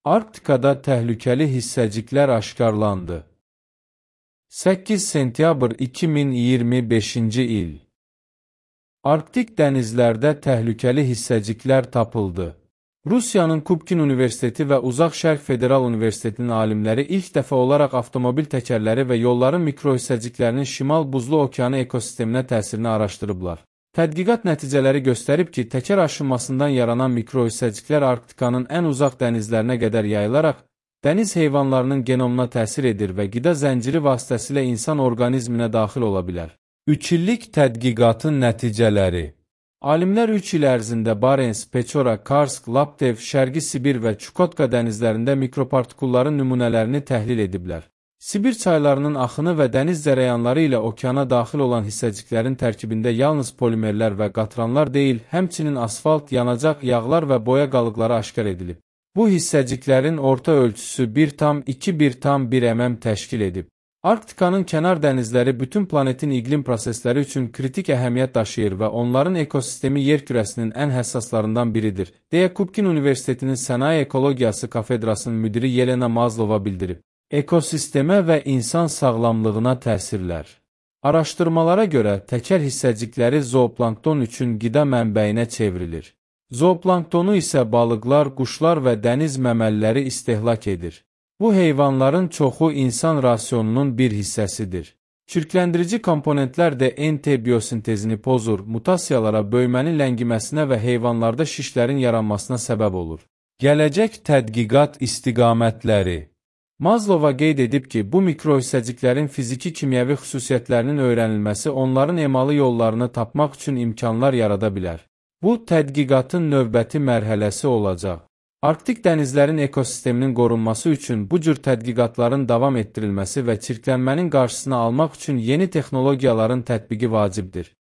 Arktikada təhlükəli hissəciklər aşkarlandı. 8 sentyabr 2025-ci il. Arktik dənizlərdə təhlükəli hissəciklər tapıldı. Rusiyanın Kubkin Universiteti və Uzaq Şərq Federal Universitetinin alimləri ilk dəfə olaraq avtomobil təkərləri və yolların mikrohissəciklərinin Şimal Buzlu Okeanı ekosisteminə təsirini araşdırıblar. Tədqiqat nəticələri göstərib ki, təkər aşınmasından yaranan mikrohissəciklər Arktikanın ən uzaq dənizlərinə qədər yayılaraq, dəniz heyvanlarının genomuna təsir edir və qida zənciri vasitəsilə insan orqanizminə daxil ola bilər. 3 illik tədqiqatın nəticələri. Alimlər 3 il ərzində Barens, Peçora, Karsk, Laptev, Şərqi Sibir və Çukotka dənizlərində mikropartikulların nümunələrini təhlil ediblər. Sibir çaylarının axını və dəniz zərəyanları ilə okeana daxil olan hissəciklərin tərkibində yalnız polimerlər və qatranlar deyil, həmçinin asfalt, yanacaq, yağlar və boya qalıqları aşkar edilib. Bu hissəciklərin orta ölçüsü 1,2-1,1 mm təşkil edib. Arktikanın kənar dənizləri bütün planetin iqlim prosesləri üçün kritik əhəmiyyət daşıyır və onların ekosistemi yer kürəsinin ən həssaslarından biridir, deyə Kubkin Universitetinin Sənaye Ekologiyası kafedrasının müdiri Yelena Mazlova bildirib. Ekosistemə və insan sağlamlığına təsirlər. Araşdırmalara görə təkər hissəcikləri zooplankton üçün qida mənbəyinə çevrilir. Zooplanktonu isə balıqlar, quşlar və dəniz məməliləri istehlak edir. Bu heyvanların çoxu insan rasionunun bir hissəsidir. Çirkləndirici komponentlər də NT biosintezini pozur, mutasiyalara, böyümənin ləngiməsinə və heyvanlarda şişlərin yaranmasına səbəb olur. Gələcək tədqiqat istiqamətləri. Mazlova qeyd edib ki, bu mikrohissəciklərin fiziki-kimyəvi xüsusiyyətlərinin öyrənilməsi onların emalı yollarını tapmaq üçün imkanlar yarada bilər. Bu, tədqiqatın növbəti mərhələsi olacaq. Arktik dənizlərin ekosisteminin qorunması üçün bu cür tədqiqatların davam etdirilməsi və çirklənmənin qarşısını almaq üçün yeni texnologiyaların tətbiqi vacibdir.